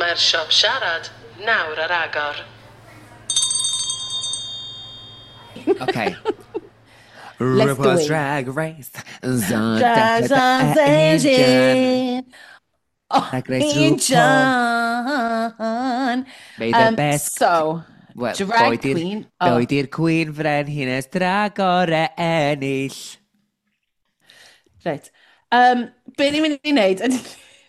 Mae'r siop siarad nawr ar agor. Okay. Let's do RuPaul's it. Drag Race. Drag Race. Drag Race RuPaul. John. May the best. So, Wel, drag boed i'r- queen. Oh, Boed i'r Queen Frenhines dragore ennill. Reit. Be ni'n mynd i wneud,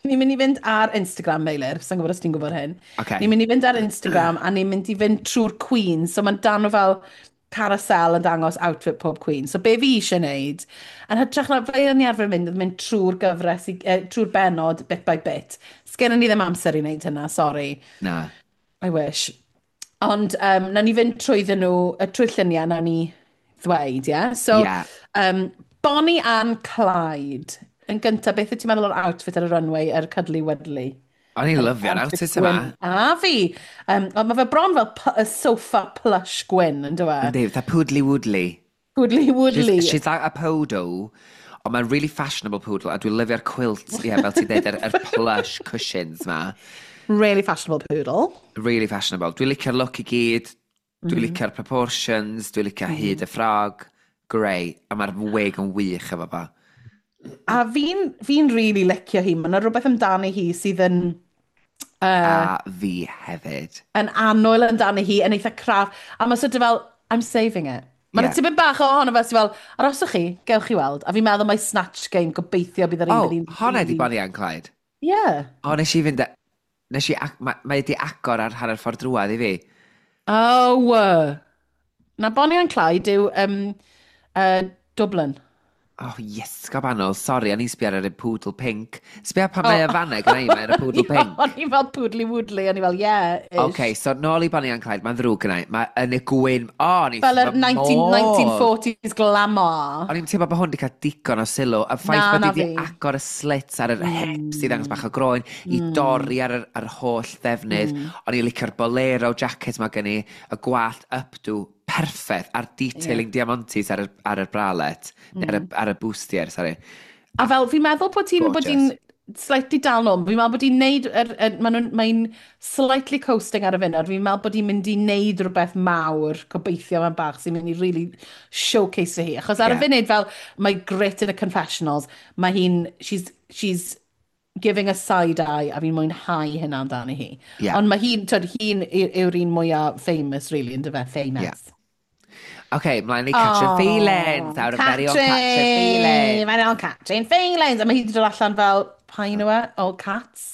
ni'n mynd i fynd ar Instagram, Meilir, sa'n gwybod os ti'n gwybod hyn. Okay. Ni'n mynd i fynd ar Instagram a ni'n mynd i fynd trwy'r Queen. So mae'n dan o fel carousel yn dangos outfit pob Queen. So be fi eisiau wneud, yn hytrach na fel o'n i arfer mynd, oedd mynd trwy'r gyfres, trwy'r benod, bit by bit. Sgennon ni ddim amser i wneud hynna, sorry. Na. I wish. Ond nawn ni fynd trwyddyn nhw, trwy'r lluniau, nawn ni ddweud, ie? Yeah? So, Yeah. Bonnie and Clyde. Yn gyntaf, beth wyt ti'n meddwl o'r outfit ar y runway, yr cuddly wuddly? O'n i'n lyfio'r outfit yma. Gwyn. A fi! Ond mae fe bron fel y sofa plush gwyn, yn dyw e? Yndi, fatha poodly woodly. Woodly woodly. She's like a poodle, ond mae'n really fashionable poodle, a dwi'n lyfio'r quilt, ie, yeah, fel ti'n dweud, yr plush cushions ma. Really fashionable poodle. Really fashionable. Dwi'n licio'r look i gyd, dwi'n licio'r proportions, dwi'n licio hyd y ffrog, grey, a mae'r wig yn wych efo fo. A fi'n really licio hi. Mae yna rhywbeth amdani hi sydd yn A fi hefyd. yn annwyl amdani hi, yn eitha craff. A mae sort of fel, "I'm saving it." Mae'n yeah. tipyn bach ohono fe sydd fel, "Aroswch chi, gewch chi weld." A fi'n meddwl mae Snatch Game, gobeithio bydd yr un Oh, bydd hi'n honna di Bonnie and Clyde. Yeah. O, nes i fynd... Nes i... Mae di agor ar hanner ffordd drwadd i fi. Oh, na Bonnie and Clyde yw Dublin. Oh, yes, gobanol. Sorry, o'n i'n sbio ar yr poodle pink. Sbio pan mae y faneg yna i, mae'r poodle pink. O'n i fel poodly woodly, o'n i fel, "Yeah, ish." OK, so nôl i Bonnie and Clyde, mae'n ddrwg gynna i. Mae yn y gwyn. O, o'n i Fel yr wrth fy modd. 1940s glamour. O'n i'n teimlo bod hwn wedi cael digon o sylw. Y ffaith Na, bod na hi wedi fi. agor y slits ar yr hips i ddangos bach o groen, i dorri ar holl ddefnydd. O'n i'n licio'r bolero jacket ma gen i, y gwallt updo, perffaith, a'r detailing yeah. diamantes ar y bralette, neu ar y bustier, sorry. A fel, fi'n meddwl bod hi'n Gorgeous. slightly dal nôl. Fi'n meddwl bod hi'n neud, mae'n slightly coasting ar y funud. Fi'n meddwl bod hi'n mynd i neud rhywbeth mawr, gobeithio mewn bach, sy'n mynd i really showcase hi. Achos ar y funud, fel, mae grit in y confessionals, mae hi'n, she's giving a side eye, a fi'n mwynhau hynna amdani hi. Ond mae hi'n, twyd, hi'n yw'r un mwyaf famous, really, yn dyfe, famous. Yeah. OK, mlaen i Catrin Feelings. Our very own Catrin Feelings. Very own Catrin Feelings. A mae hi wedi dod allan fel, pa un yw e? Oh, Cats?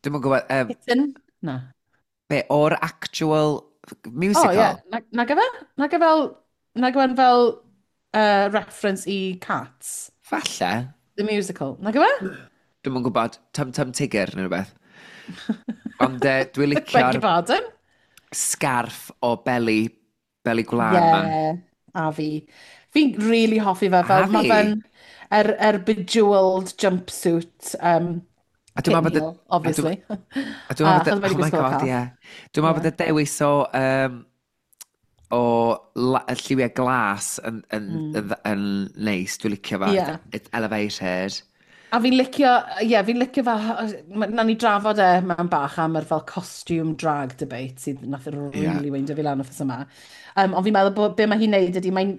Dwi'm yn gwybod, Kitten? Na. Be, o'r actual musical? Oh, yeah. Na gyfe? Na gyfe fel, na gyfe fel reference i Cats? Falle. The musical. Na gyfe? Dwi'm yn gwybod, Tum Tum Tigger neu rhywbeth. Ond dwi'n Beg licio'r your pardon? sgarff o beli gwlân ma. Yeah, a fi. Fi'n really hoffi fe. Fel, A mae fi. fe'n yr bejeweled jumpsuit. A dwi'n meddwl bod Kitten heel, obviously. A dwi'n meddwl bod Achos mae 'di oh my gwisgo God, cath. ie. Dwi'n meddwl bod y dewis o y lliwiau glas yn neis, dwi'n licio fo. It's elevated. A fi'n licio, ie, yeah, fi'n licio fel, nawn ni drafod e mewn bach am yr fel costume drag debate sydd nath really weindio fi lan wythnos yma. Ond fi'n meddwl bod be mae hi'n neud ydy, mae'n,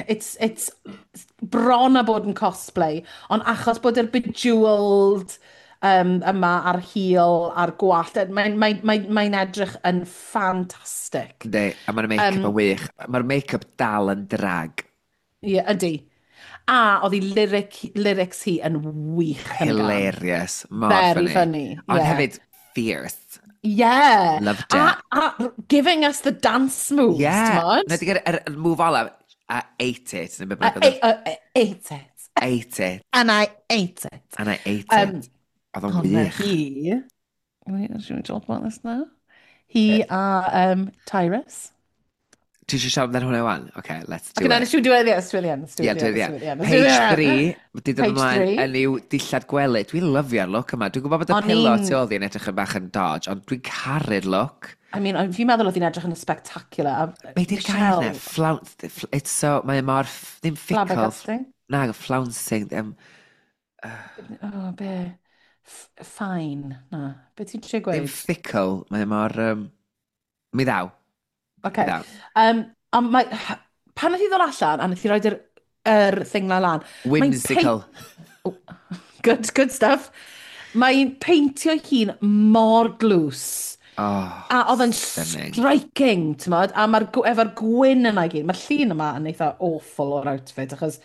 it's bron a bod yn cosplay, ond achos bod yr bejeweled yma a'r heel a'r gwallt, mae edrych yn ffantastig. Yndi, a mae'r make-up yn wych. Mae'r make-up dal yn drag. Ie, yeah, ydy. A oedd hi lyrics hi yn wych yn y gân. Hilarious. Mor Very funny. funny, Ond yeah. hefyd fierce. Yeah. Loved it. A giving us the dance moves, t'mod? Na di gyda yr move olaf, I ate it. Neu be I, bynnag oedd I, I ate it. Ate it. And I ate it. And I ate it. Oedd o'n Ond na wych. hi. Wait, should we talk about this now? Hi a Tyrus. Ti eisiau siarad amdano hwnna wan? Okay, let's do Okay, na, it. let's do it at the end, let's do it at the end. Let's do it Yeah, at do the it end, let's do it at the end, let's do Page it at the end. 3, wedi dod Page ymlaen 3. yn i'w dillad gwely. Dwi'n lyfio'r look yma. Dwi'n gwybod bod y O'n pillow tu ôl di yn edrych yn bach yn dodge, ond dwi'n caru'r look. I mean, fi'n meddwl oedd hi'n edrych yn spectacular. Be di'r gair na? It's so, mae e mor, ddim fickle. Flabbergasting. Na, flouncing. Oh, be? Fine, na. Be ti'n trio Ddim gweud? fickle, mae mor... mi ddaw. Okay. Mi ddaw. Ond mae, pan nath i ddod allan, a nath i roed yr thing 'na lan. Whimsical. Oh, good, good stuff. Mae'n peintio hun mor glws. Oh, a oedd yn stunning. Striking, ti'n modd? A mae'r efo'r gwyn yna i gyd. Mae'r llun yma yn eitha awful o'r outfit, achos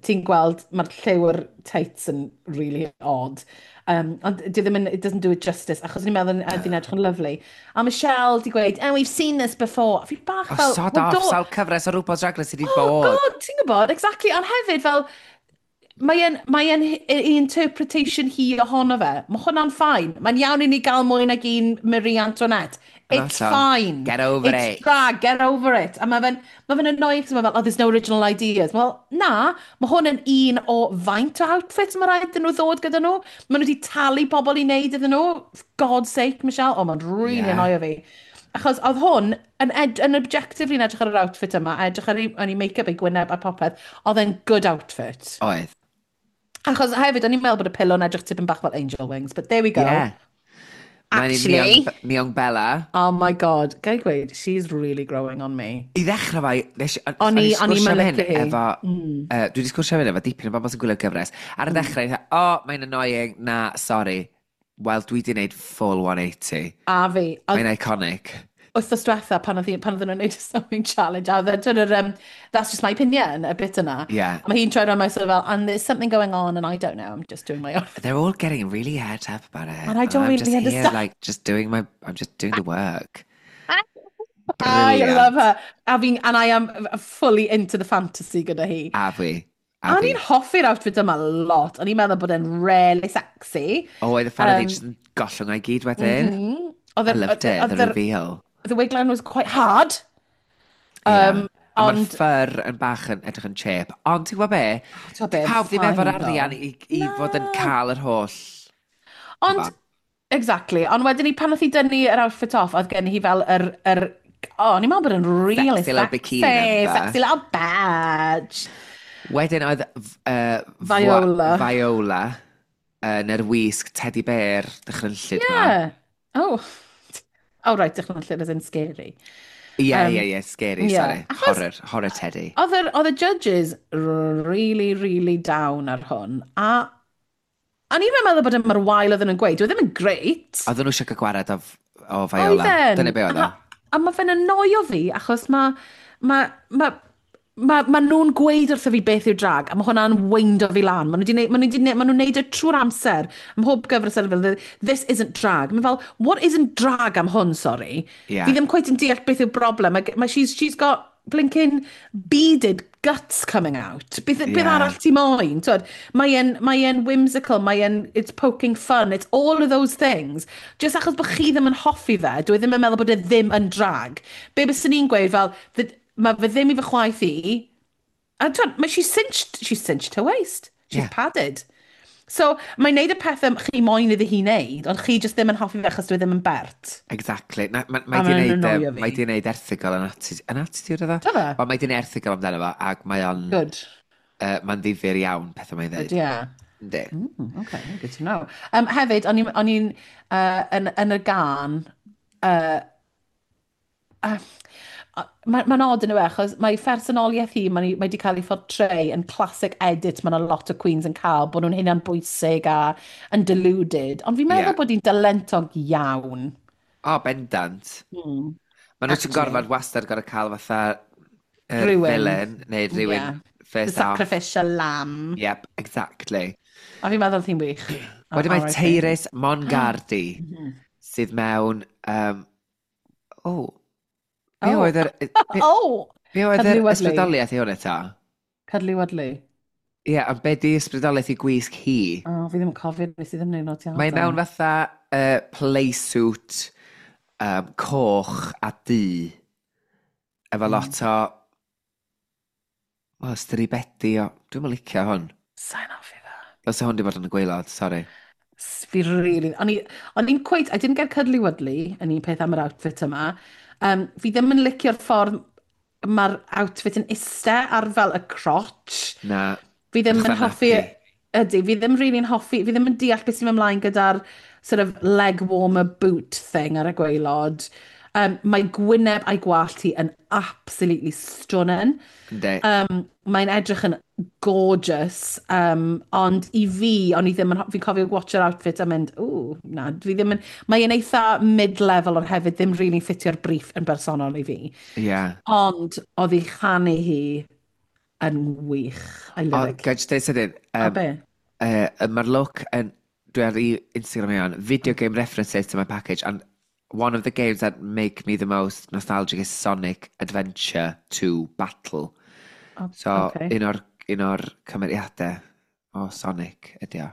ti'n gweld mae'r lliw'r tights yn really odd. Ond di ddim yn, it doesn't do it justice, achos ni'n meddwl ydy'n edrych yn lovely. A Michelle di gweud, "Oh, we've seen this before." A fi bach Oh, fel sod "Well, off, sawl cyfres o RuPaul's Drag Race sydd wedi Oh, bod. God, ti'n gwybod, exactly. Ond hefyd, fel, mae e'n interpretation hi ohono fe. Mae hwnna'n fine. Mae'n iawn i ni gael mwy nag un Marie Antoinette. It's Hollol. fine. Get over It's it. drag, get over it. A mae fe'n annoying, 'cause mae fel, "Oh, there's no original ideas." Wel, na, mae hwn yn un o faint o outfits mae rhaid iddyn nhw ddod gyda nhw. Maen nhw wedi talu pobl i wneud iddyn nhw. For God's sake, Michelle. Oh, mae'n really annoyo fi. Achos oedd hwn yn objectively yn edrych ar yr outfit yma, edrych ar ei make-up, ei gwyneb a popeth, oedd e'n good outfit. Oedd. Achos hefyd, o'n i'n meddwl bod y pillow yn edrych tipyn bach fel angel wings, but there we go. Yeah. Mae'n Actually, Miong Bella. Oh my God, gai gweud, she's really growing on me. I ddechrau fai, nes, O'n i'n sgwrsio am hyn licio hi. efo, dwi wedi sgwrsio am hyn efo dipyn o bobl sy'n gwylio'r gyfres. Ar y dechrau, mm. Oh, mae'n annoying, na, sorry. Wel, dwi wedi gwneud full 180. A fi. Oedd Mae'n iconic. Wythnos diwetha pan oedden nhw'n gwneud y sewing challenge, a oedd e, yr, "That's just my opinion," y bit yna. A mae hi'n troi rownd, mae'n sort of fel, "And there's something going on and I don't know, I'm just doing my own." "They're all getting really het up about it. And I don't I'm really just here, understand." like, just doing my, I'm just doing the work." I Brilliant. love her. A fi'n, and I am fully into the fantasy gyda hi. A fi. A A fi. ni'n hoffi'r outfit yma lot. O'n i'n meddwl bod e'n really sexy. O, oedd y ffordd um, just yn gollwng o'i gyd wedyn. Oedd I loved it, the reveal. The wigline was quite hard. Yeah. A mae'r Ond fur yn bach yn edrych yn cheap. Ond ti'n gwybod be? Ti'n gwbod be, Pawb ddim fine efo'r though. arian i fod yn cael yr holl. Ond, exactly. Ond wedyn ni, pan oedd hi dynnu yr outfit off, oedd gen hi fel yr oh, o'n i'n meddwl bod yn really Sexy little bikini number. Sexy little badge. Wedyn oedd Viola. Viola yn yr wisg teddy bear dychrynllyd ma. Yeah. Oh. Oh, right, dychrynllyd as in scary. Ie, ie, scary, sorry. Horror, horror teddy. Oedd y judges really, really down ar hwn. A o'n i'n meddwl bod yn mor wael oedden nhw'n gweud. Dwi ddim yn great. Oedden nhw eisiau cael gwared o Viola. Oedden. Dyna be oedd o. A mae fe'n annoio fi, achos ma nhw'n gweud wrtho fi beth yw drag, a mae hwnna'n weindo fi lan. Ma nhw'n neud e trwy'r amser. Ym mhob gyfres ar fel, "This isn't drag." Mae'n fel, "What isn't drag am hwn, sorry?" Fi ddim quite yn deall beth yw'r broblem. She's got blinking beaded guts coming out. Beth arall ti moyn? Twyd, mae e'n whimsical, it's poking fun, it's all of those things. Just achos bod chi ddim yn hoffi fe, dwi ddim yn meddwl bod e ddim yn drag. Be byswn ni'n gweud fel, mae fe ddim i fy chwaith i, a twyd, mae she's cinched her waist. She's padded. So, mae'n neud y pethau chi moyn iddi hi wneud, ond chi just ddim yn hoffi fe achos dwi ddim yn bert. Exactly. Na, A mae di mae'n neud, annoio fi. mae di neud erthygl yn attitude. Yn attitude oedd o? Do fe? Wel, mae di neud erthygl amdano fo, ac mae o'n... Good. Mae'n ddifyr iawn pethau mae'n Good, dweud. yeah. Yndi. Okay, good to know. Hefyd, o'n i'n yn y gan, mae'n odd yn yw e, achos mae phersonoliaeth hi, mae di cael ei portray yn classic edit mae'n a lot o queens yn cael, bod nhw'n hunan bwysig a yn deluded. Ond fi'n meddwl bod hi'n dalentog iawn. O, bendant. Mae nhw ti'n Actually. gorfod wastad gorfod cael fatha yr Rhywun. villain neu rhywun The first off. sacrificial lamb. Yep, exactly. A fi'n meddwl hi'n wych. Wedyn mae R.I.P. Tyrus Mongardi sydd mewn... Oh, be oedd yr... Be, Oh! be oedd yr Cuddly Wuddly. ysbrydoliaeth i hwn eto? Cuddly Wuddly. Ie, yeah, ond be di ysbrydoliaeth i gwisg hi? Oh, fi ddim yn cofio, nes i ddim wneud nodiadau. Mae mewn fatha playsuit coch a du. Efo lot o... O, stribedi o... Dwi'm yn licio hwn. Sa'n hoffi fe. Os hwn di bod yn y gwaelod, sorry. Fi really... O'n i'n quite... I didn't get cuddly wuddly yn un peth am yr outfit yma. Fi ddim yn licio'r ffordd mae'r outfit yn iste ar fel y crotch. Na. Fi ddim yn Fatha hoffi nappy. Ydy, fi ddim really'n hoffi, fi ddim yn deall beth sy'n mynd ymlaen gyda'r sort of leg warmer boot thing ar y gwaelod. Mae gwyneb a'i gwallt hi yn absolutely stunning. Yndi. Mae'n edrych yn gorgeous, ond i fi, o'n i ddim yn, fi'n cofio watch-o'r outfit a mynd, "Ww, na, fi ddim yn", mae'n eitha mid-level ond hefyd ddim really ffitio'r briff yn bersonol i fi. Ond oedd ei chanu hi yn wych. I love Ond, it. gael jyst deud sydyn, A be? Mae'r look yn, dwi ar ei Instagram i on, video game references to my package, and one of the games that make me the most nostalgic is Sonic Adventure 2 Battle. Oh, So, un o'r cymeriadau o Sonic ydi o.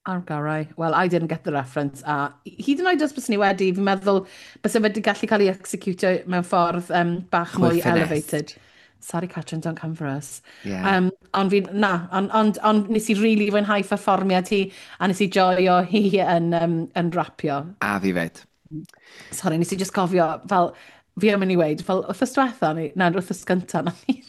Ar gorau. Well, I didn't get the reference. A hyd yn oed os bys ni wedi, fi'n meddwl bys wedi gallu cael ei executio mewn ffordd bach Mwy mwy finessed. elevated. Sorry, Catrin, don't come for us. Yeah. Ond fi, na, ond nes i really fwynhau perfformiad hi, a nes i joio hi yn rapio. A fi fed. Sorry, nes i just cofio, fel, fi am mynd i weud, fel, wythnos diwetha, neu, na, wythnos gynta, nath hi,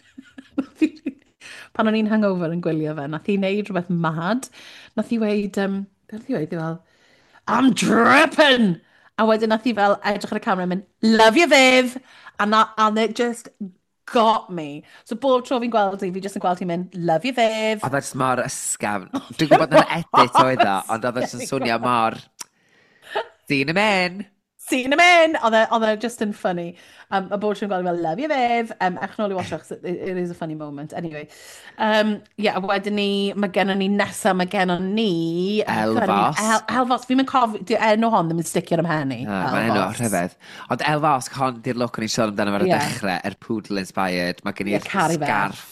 pan o'n i'n hangover yn gwylio fe, nath hi wneud rhywbeth mad. Nath hi weud, beth nath hi weud, hi fel, "I'm dripping!" A wedyn nath hi fel edrych ar y camera a mynd, "Love you, Viv!" And it just got me. So bob tro fi'n gweld hi, fi just yn gweld hi'n mynd, "Love you, Viv." Oedd e jyst mor ysgafn. Dwi'n gwybod na'n edit oedd o, ond oedd e jyst yn swnio mor... Seen him in. Seen him in! Oedd e just yn funny. A bob tro'n gweld hi fel, "Love you, Viv." Ewch nôl i watch achos it is a funny moment. Anyway. Yeah, a wedyn ni, mae gennon ni nesa, mae gennon ni Elle Vos. Elle Vos. Fi'n mynd cofio, di enw hon ddim yn sticio ar 'y mhen i. Ah, mae'n enw Elle Vos. rhyfedd. Ond Elle Vos, hon di'r look o'n i'n sôn amdano ar y dechrau, yr poodle inspired. Mae gen Ie, i'r caru fe. scarf,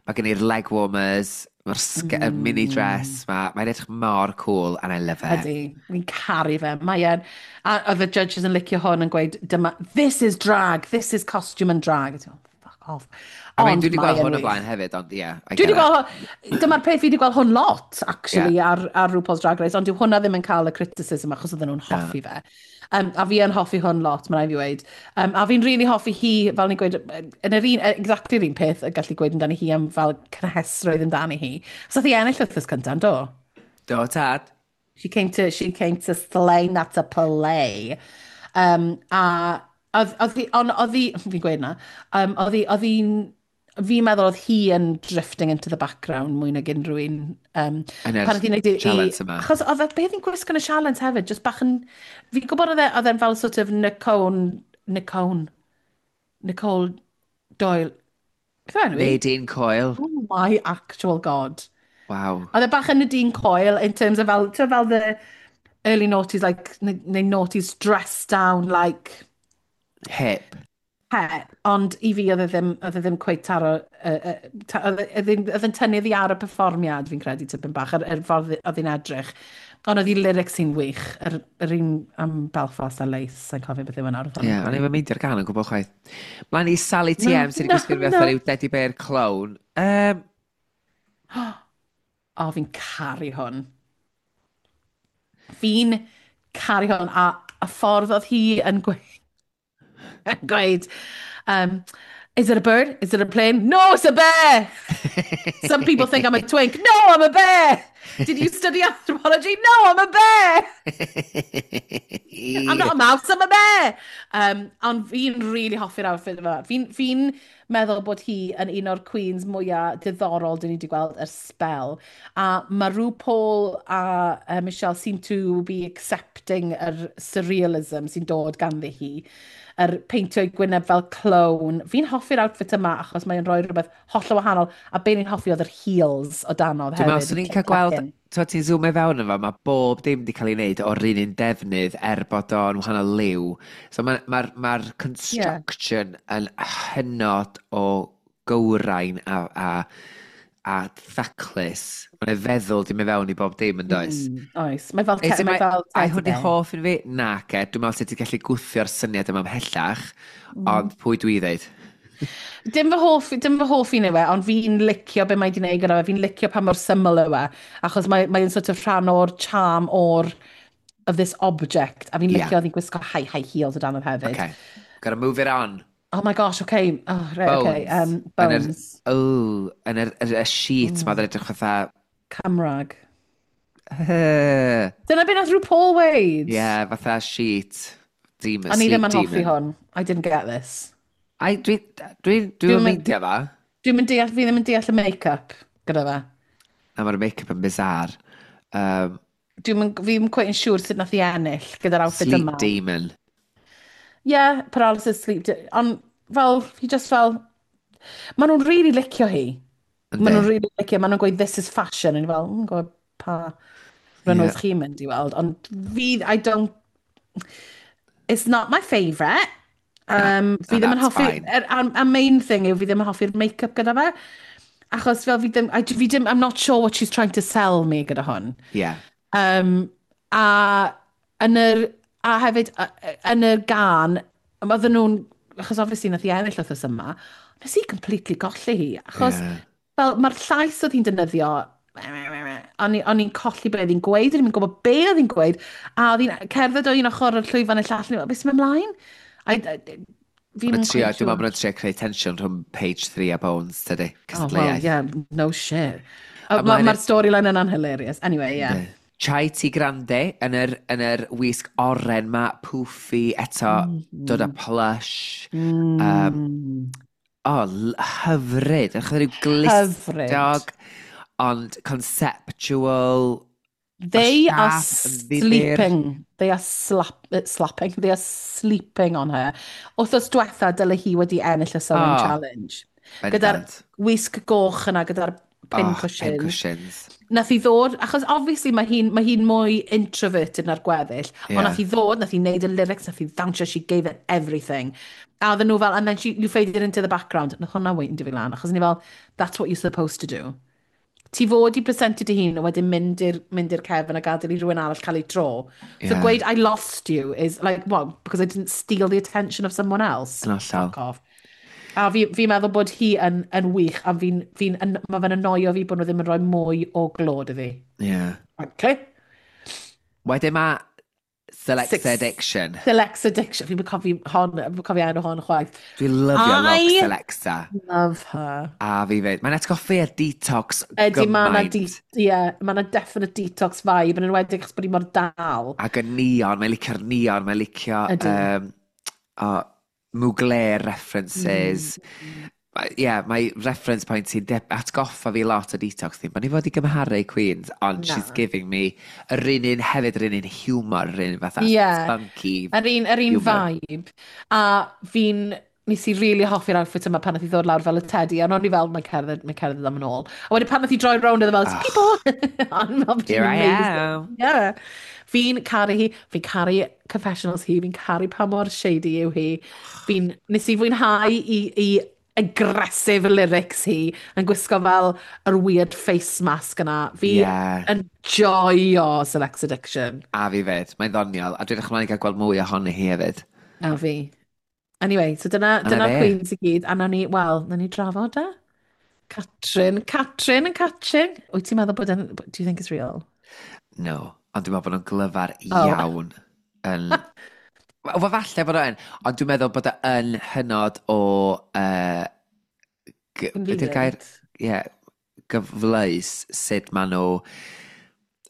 mae gen i'r leg warmers, mae'r mini dress, mae'n edrych mor cool and I love it. Ydy, fi'n caru fe. Mae e'n... A oedd y judges yn licio hwn yn gweud, dyma, "This is drag, this is costume and drag." A ti'n meddwl, "Fuck off." I mean, Ond dwi wedi gweld mae e'n hwn o wych. blaen hefyd, ond ie. I Dwi wedi get it. gweld hwn, dyma'r peth, fi wedi gweld hwn lot, actually, ar RuPaul's Drag Race, ond dyw hwnna ddim yn cael y criticism achos oedden nhw'n hoffi fe. A fi yn hoffi hwn lot, mae'n rhaid fi weud. A fi'n really hoffi hi, fel ni'n gweud, yn yr un, exactly yr un peth y gallu gweud amdani hi am fel cynhesrwydd amdani hi. So hi ennill wythnos cyntaf, do? Do, tad. She came to slay, not to play. A oedd hi, ond oedd hi, fi'n gweud na, oedd hi'n, fi'n meddwl oedd hi yn drifting into the background mwy nag unrhyw un. Yn yr pan oedd hi'n neud challenge yma. Achos oedd beth hi'n gwisgo yn y challenge hefyd, just bach yn, fi'n gwybod oedd e'n fel sort of Nicole Doyle. Beth yw enw hi? Nadine Coyle. Oh my actual God. Wow. Oedd e bach yn Nadine Coyle in terms of fel, ti'n fel the early noughties, like, neu noughties dressed down like Hip. Hep, ond i fi oedd e ddim cweit taro, oedd e'n tynnu ddi ar y perfformiad, fi'n credu, tipyn bach, yr ffordd oedd hi'n edrych. Ond oedd hi lyrics hi'n wych, yr un am Belfast a Lace, sa'n cofio beth yw e nawr. Ie, yeah, o'n i'n meindio'r gan yn gwybod chwaith. Mlaen i Sally TM sydd wedi Na, gwisgo na. fatha rhyw teddy bear clown. O, fi'n caru hwn. Fi'n caru hwn, a y ffordd oedd hi yn gweud, "Is it a bird? Is it a plane? No, it's a bear! Some people think I'm a twink. No, I'm a bear! Did you study anthropology? No, I'm a bear! I'm not a mouse, I'm a bear!" Ond fi'n really hoffi'r outfit yma. Fi'n fi meddwl bod hi yn un o'r queens mwyaf diddorol dyn ni wedi gweld ers spel. A mae RuPaul a Michelle seem to be accepting yr surrealism sy'n dod ganddi hi. Yr peintio ei gwyneb fel clown. Fi'n hoffi'r outfit yma achos mae'n rhoi rhywbeth hollol wahanol. A be ni'n hoffi oedd yr heels o danodd Dwi'n meddwl, hefyd. swn i'n cael gweld, ti'n zoom i fewn efo, mae bob dim wedi cael ei wneud o'r un defnydd er bod o'n wahanol liw. So mae'r ma construction yn hynod o gywrain a thaclus. Mae'n feddwl di mynd fewn i bob dim yn does? Oes, mae fel, Is it mae fel ai teddy hwn di bear. hoff un fi? Na, ce. Dwi'n meddwl sut ti'n gallu gwthio'r syniad yma ymhellach, ond pwy dwi ddeud? Dim fy hoff un yw e, ond fi'n licio be mae di wneud gyda fe. Fi'n licio pa mor syml yw e, achos mae'n sort of rhan o'r charm of this object. A fi'n licio oedd hi'n gwisgo high heels o dan hefyd. Okay. Gotta move it on. Oh my gosh, okay. Oh, right, okay. Bones. Bones. Oh, yn yr sheet ma, oedd yn edrych fatha Cymraeg. Dyna beth nath RuPaul weud. Yeah, fatha sheet. Demon, O'n i ddim sleep yn hoffi demon. hwn. I didn't get this. Ai, dwi Dwi'm yn yn- meindio fa. Dwi'n mynd deall, fi ddim yn deall y make-up gyda fe. Na, mae'r make-up yn bizarre. Dwi'n mynd, fi ddim quite yn siŵr sut nath i ennill gyda'r outfit Sleep yma. demon. Yeah, paralysis, sleep. Ond fel, fi just fel, maen nhw'n really licio hi. Maen nhw'n Yndi. really licio, maen nhw'n gweud, "This is fashion." A ni fel, gwybod pa runways chi'n mynd i weld. Ond fi, I don't, it's not my favourite. Fi And ddim yn that's hoffi, fine. A main thing yw fi ddim yn hoffi'r make-up gyda fe. Achos fel fi ddim, fi ddim, I'm not sure what she's trying to sell me gyda hwn. A yn yr, a hefyd, yn yr gân, oedden nhw'n, achos obviously nath i ennill wythnos yma, nes i completely golli hi, achos fel mae'r llais oedd hi'n defnyddio, o'n i'n colli be oedd hi'n gweud, o'n i'n gwybod be oedd hi'n gweud, a oedd hi'n cerdded o un ochr o'r llwyfan i'r llall, o'n i'n fel, "Beth sy'n mynd ymlaen?" Fi Mae'n ddim trio, quite dwi'n meddwl sure. bod nhw'n trio creu tension rhwng Paige 3 a Bones, tydi? Oh, well, Cystadleuaeth. yeah, no shit. A mae'n- Mae'r storyline yna'n hilarious. Anyway, yeah. Yndi. Chai T Grande yn yr wisg oren ma, poofy eto, dod â plush. Oh, hyfryd. Yn rhyw Hyfryd. glustog, ond conceptual. They are siâp yn ddifyr. sleeping. They are slapping. They are sleeping on her. Wythnos diwetha, dyle hi wedi ennill y Sewing Challenge. Gyda'r wisg goch yna, gyda'r pin Oh, cushions. pin cushions. Nath hi ddod, achos obviously mae hi mwy introverted na'r gweddill, ond nath hi ddod, nath hi wneud y lyrics, nath hi ddawnsio, she gave it everything. A oedden nhw fel, and then you faded into the background. Nath hwnna weindio fi lan, achos ni fel, that's what you're supposed to do. Ti fod i presentio dy hun a wedyn mynd i'r cefn a gadael i rhywun arall cael ei tro. So gweud "I lost you" is like, what, because I didn't steal the attention of someone else? Yn hollol. Fuck off. A fi meddwl bod hi yn wych, a mae fe'n annoio fi bod nhw ddim yn rhoi mwy o glod iddi. Okay. Wedyn mae Select Six. Addiction. Selects Addiction. Fi'n cofio hon, fi'n cofio enw hon chwaith. Dwi'n lyfio look I Selecta. love her. A fi fyd. Mae'n atgoffi ar Detox Ydy, mae 'na gymaint. yeah, ma' 'na definite Detox vibe, yn enwedig achos bod hi mor dal. Ac y neon, mae'n licio'r neon, mae'n licio oh, Mugler references. Yeah, mae reference point sy'n atgoffa fi lot o Detox ddim. Mae'n i fod i gymharu Queens, ond Na. she's giving me yr un un hefyd, yr un un humor, yr un fatha spunky. Yr un humour. vibe. A nes i really hoffi'r outfit yma pan nath i ddod lawr fel y teddy, a o'n i fel, mae'n cerdded am yn ôl. A wedyn pan nath i droi rownd, oedd e fel, "People!" O'n i'n meddwl bod hi'n Here I amazing. am. Yeah. Fi'n caru hi, fi'n caru confessionals hi, fi'n caru pa mor shady yw hi. Nes i fwynhau i aggressive lyrics hi yn gwisgo fel yr weird face mask yna. Fi yn joio Selects Addiction. A fi fyd, mae'n ddoniol. A dwi'n edrych ymlaen i gael gweld mwy ohoni hi hefyd. A fi. Anyway, so dyna, A 'na dyna'r fe. Queens i gyd. A nawn ni, wel, nawn ni drafod e. Catrin, Catrin yn catching. Wyt ti'n meddwl bod yn, do you think it's real? No, ond dwi'n meddwl bod nhw'n glyfar Oh. iawn. Yn... Wel, falle bod o yn, ond dwi'n meddwl bod o yn hynod o be 'di'r gair? Convenient. Ie, yeah, gyfleus sut maen nhw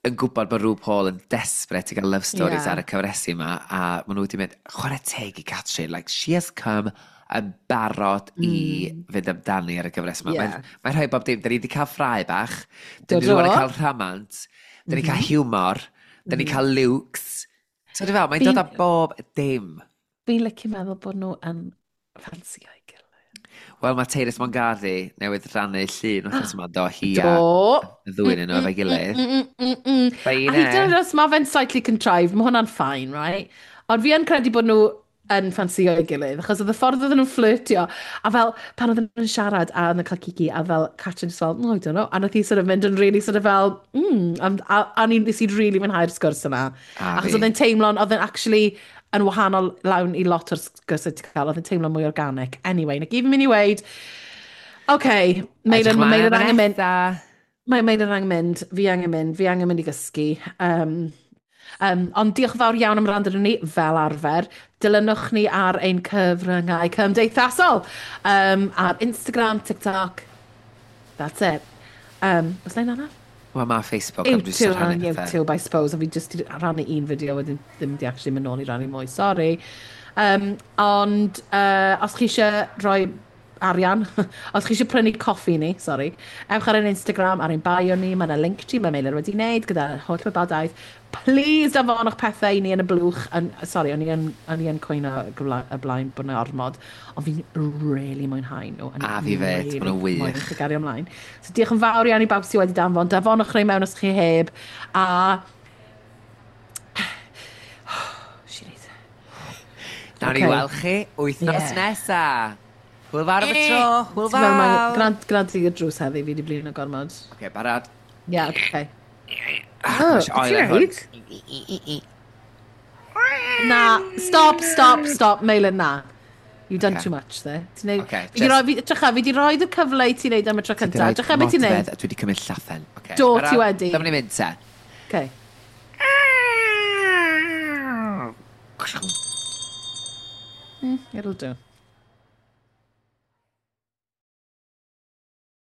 yn gwybod bod RuPaul yn desperate i gael love stories ar y cyfresi yma, a maen nhw wedi mynd, chwarae teg i Catrin, like, she has come yn barod i fynd amdani ar y gyfres yma. Mae'n rhoi bob dim. Da ni wedi cael ffrae bach, da ni wedi cael rhamant, da ni cael humor, da ni cael looks. So dwi'n fel, mae'n dod â bob dim. Fi'n licio meddwl bod nhw yn ffansio ei gilydd. Wel, mae Tyrus Mongardi newydd rannu llun wythnos yma, do, hi a y ddwy yn nhw efo'i gilydd. A hyd yn oed os mae fe'n slightly contrived, mae hwnna'n fine, right? Ond fi yn credu bod nhw yn ffansio ei gilydd, achos oedd y ffordd oedden nhw'n flirtio, a fel, pan oedden nhw'n siarad a oedden nhw'n cael kiki, a fel, Catrin just fel, "No, I don't know," a nath hi sort of mynd yn really sort of fel, a nes i really mwynhau'r sgwrs yna. A Achos fi. oedd e'n teimlo'n, oedd e'n actually yn wahanol lawn i lot o'r sgwrsau ti'n cael, oedd e'n teimlo mwy organic. Anyway, na gyd fi'n mynd i weud, okay, Meilir, mae Meilir angen mynd, mae Meilir angen mynd, fi angen mynd i gysgu. Ond diolch yn fawr iawn am wrando arnon ni, fel arfer. Dilynwch ni ar ein cyfryngau cymdeithasol. Ar Instagram, TikTok. That's it. Oes na un arall? Wel, mae Facebook am jyst YouTube, rhannu pethau. YouTube, I suppose. A fi just di rhannu un fideo wedyn ddim di actually mynd nôl i rannu mwy, sorry. Ond os chi eisiau rhoi arian, os chi eisiau prynu coffi ni, sorry, ewch ar ein Instagram, ar ein bio ni, mae yna link tree, mae Meilir wedi wneud gyda holl wybodaeth. Please danfonwch pethau i ni yn y blwch. Yn, sorry, o'n i yn, o'n i yn cwyno y blaen bod yna ormod, ond fi'n really mwynhau nhw. A fi fed, really maen nhw'n wych. Moyn i gario ymlaen. So diolch yn fawr iawn i bawb sydd wedi danfon. Danfonwch rhai mewn os chi heb. A She needs... Nawn ni weld chi wythnos nesa. Hwyl fawr am y tro, hwyl fawr. Grant, grant i'r drws heddi, fi wedi blino gormod. Oce, okay, barod. Ie, yeah, oce. Oh, ti'n neud? Na, stop, stop, stop, Meilin, na. You've done okay. Too much there. Ti'n neud... Okay, fi just... Fi, trycha, fi di roi y cyfle i ti wneud am y tro cyntaf. Trycha beth ti'n neud. Dwi wedi cymryd llathen. Okay. Do, ti wedi. Dyma ni'n mynd te. Okay. It'll do.